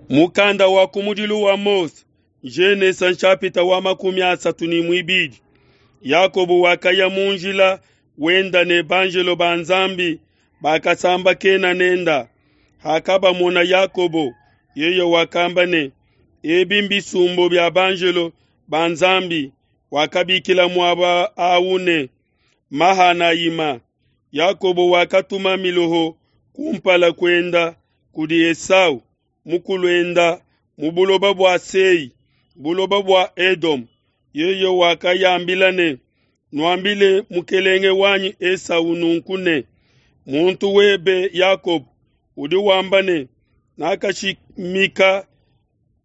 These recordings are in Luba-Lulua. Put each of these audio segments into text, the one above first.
Mukanda wa kumudilu wa Mose, Genesa nshapita wa 32. Yakobo wakaya mu njila wenda ne banjelo ba Nzambi bakasambakena nenda. Hakabamona Yakobo, yeye wakamba ne, ebi mbisumbu bia banjelo ba Nzambi. Wakabikila muaba awu ne, Mahanayima. Yakobo wakatuma miloho kumpala kuenda kudi Esau mukuluenda mu buloba bua Sei, buloba bua Edom. Yeye wakayambila ne, nuambile mukelenge wanyi Esau nunku ne, muntu webe Yakobo udi wamba ne, nakashimika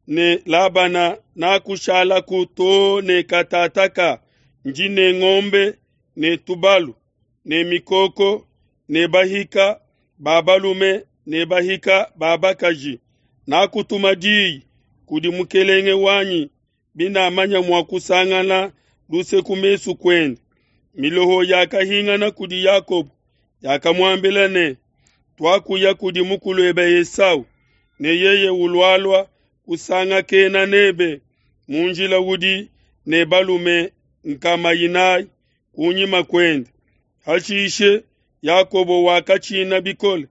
ne Labana nakushalaku too ne katataka, ndi ne ngombe ne tubalu ne mikoko ne bahika ba balume ne bahika ba bakaji. Nakutuma diyi kudi mukelenge wanyi binamanya mua kusangana luse ku mesu kuende. Miloho yakahingana kudi Yakobo, yakamuambila ne, twakuya kudi mukuluebe Esau, ne yeye ulualua kusangakena nebe mu njila udi ne balume nkama inayi kunyima kuende. Hashishe Yakobo wakatshina bikole,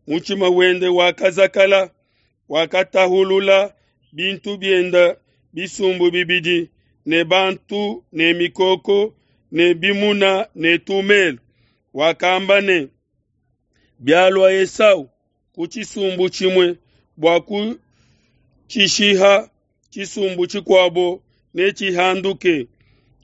mutshima wende wakazakala, wakatahulula bintu bienda bisumbu bibidi, ne bantu ne mikoko ne bimuna ne tumelo. Wakamba ne, bialua Esau ku tshisumbu tshimue bua kutshishiha, tshisumbu tshikuabo netshihanduke.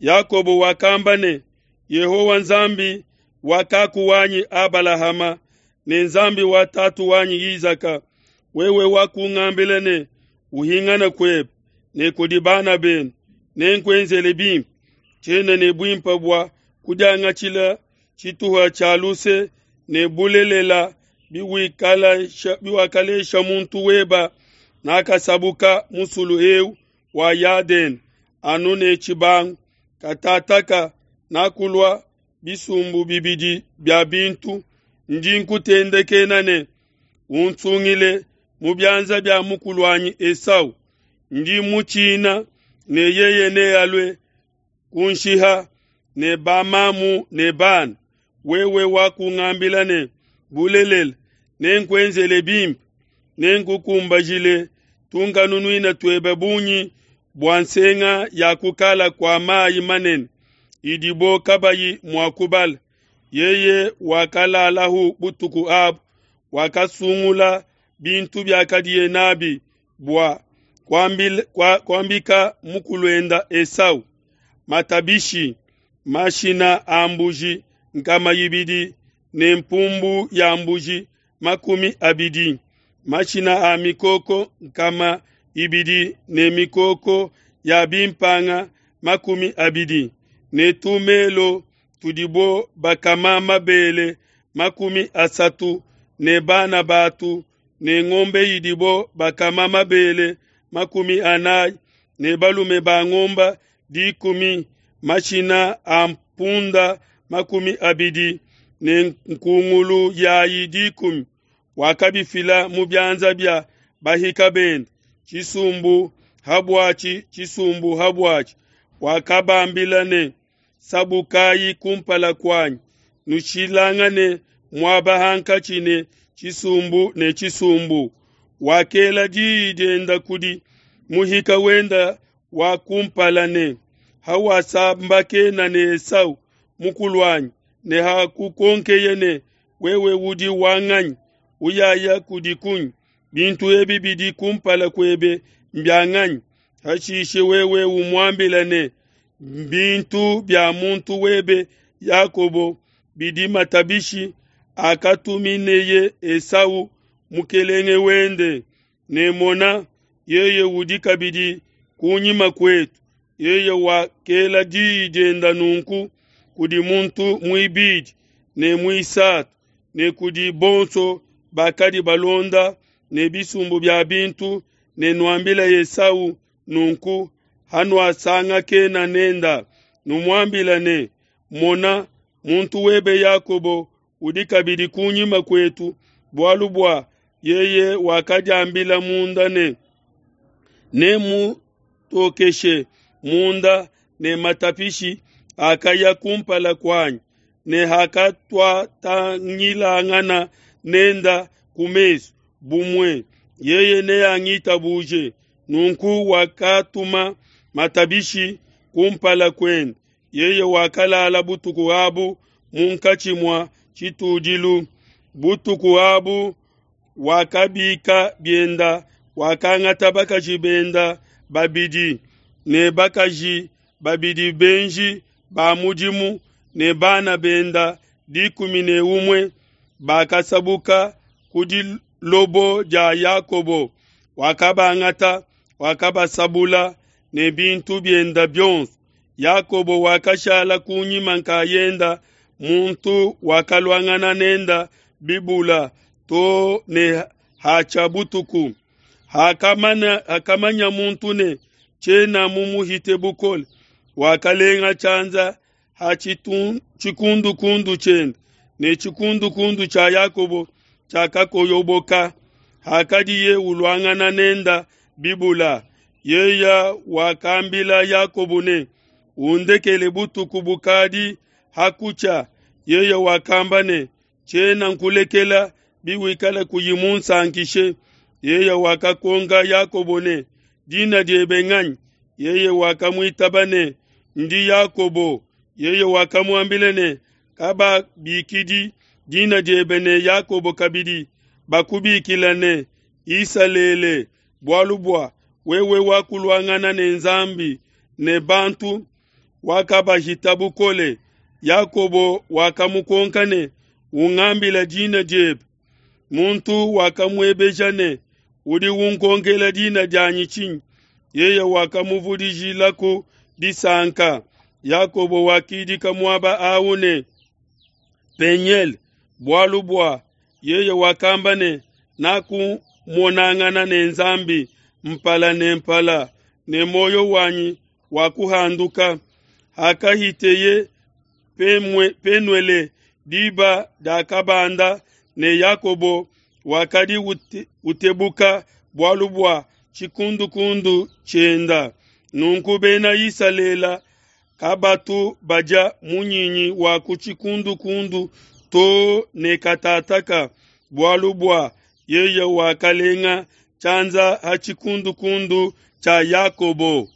Yakobo wakamba ne, Yehowa Nzambi wa kaku wanyi Abalahama ne Nzambi wa tatu wanyi Isaka, wewe wakungambila ne, uhingane kuebe ne kudi bana benu, nenkuenzele bimpe. Tshiena ne buimpe bua kudiangatshila tshituha tshia luse ne bulelela biwakalesha muntu weba. Nakasabuka musulu eu wa Yadene anu ne tshibangu, katataka nakulua bisumbu bibidi bia bintu. Ndi nkutendekena ne, unsungile mu bianza bia mukuluanyi Esau. Ndi mutshina ne yeye nealue kunshiha ne bamamu ne bana. Wewe wakungambila ne, bulelela nenkuenzele bimpe, nenkukumbajile tunkanunuina tuebe bungi bua nsenga ya kukala kua mayi manene idibo kabayi mua kubala. Yeye wakalalahu butuku abu, wakasungula bintu biakadiye nabi bua kuambika mukuluenda Esau: matabishi, mashina a mbuji nkama ibidi ne mpumbu ya mbuji 20, mashina a mikoko nkama ibidi ne mikoko ya bimpanga 20, ne tumelo tudibo bakama mabele 30 ne bana batu, ne ngombe idibo bakama mabele 40, ne balume ba ngomba 10, mashina a mpunda 20 ne nkungulu yayi 10. Wakabifila mu bianza bia bahika bende, tshisumbu habuatshi tshisumbu habuatshi. Wakabambila ne, sabukayi kumpala kuanyi, nushilangane muaba hankatshi ne tshisumbu ne tshisumbu. Wakela diyi dienda kudi muhika wenda wa kumpala ne, hawasambakena ne Esau mukuluanyi, ne hakukonkeye ne, wewe udi wanganyi, uyaya kudi kunyi, bintu ebi bidi kumpala kuebe mbyanganyi? Hashishe wewe umuambila ne, bintu bia muntu webe Yakobo bidi matabishi akatumineye Esau mukelenge wende, ne mona, yeye udi kabidi kunyima kuetu. Yeye wakela diyi dienda nunku kudi muntu muibidi ne muisatu ne kudi bonso bakadi balonda ne bisumbu bia bintu, ne nuambila Esau nunku hanuasangakena nenda, numuambila ne, mona, muntu webe Yakobo udi kabidi kunyima kuetu, bualu bua yeye wakadiambila munda ne, Nemutokeshe munda ne matapishi akaya kumpala kuanyi, ne hakatuatangilangana nenda ku mesu, bumue yeye neangitabuje. Nunku wakatuma matabishi kumpala kuende. Yeye wakalala butuku abu munkatshi mua tshitudilu. Butuku abu wakabika bienda, wakangata bakaji benda babidi ne bakaji babidi benji ba mudimu ne bana benda 11, bakasabuka ku dilobo dia Yakobo. Wakabangata, wakabasabula ne bintu bienda bionso. Yakobo wakashala kunyima nkayenda, muntu wakaluangana nenda bibula to ne hatshia butuku. Hakamanya muntu ne tshiena mumuhite bukole, wakalenga tshianza ha tshikundukundu tshiende, ne tshikundukundu tshia Yakobo tshiakakoyoboka. Hakadiye uluangana nenda bibula, yeye wakambila Yakobo ne, undekele butuku bukadi hakutshia. Yeye wakamba ne, tshiena nkulekela biwikala kuyi munsankishe. Yeye wakakonka Yakobo ne, dina diebe nganyi? Yeye wakamuitaba ne, ndi Yakobo. Yeye wakamuambila ne, kababikidi dina diebe ne Yakobo kabidi, bakubikila ne Isalele, bualu bua wewe wakuluangana ne Nzambi ne bantu, wakabahita bukole. Yakobo wakamukonka ne, ungambila dina diebe. Muntu wakamuebeja ne, udi unkonkela dina dianyi tshinyi? Yeye wakamuvudijilaku disanka. Yakobo wakidika muaba awu ne Peniel, bualu bua yeye wakamba ne, nakumonangana ne Nzambi mpala ne mpala, ne muoyo wanyi wakuhanduka. Hakahiteye Penuele, diba diakabanda, ne Yakobo wakadi utebuka bualu bua tshikundukundu tshienda. Nunku bena Isalele kabatu badia munyinyi wa ku tshikundukundu to ne katataka, bualu bua yeye wakalenga tshianza ha tshikundukundu tshia Yakobo.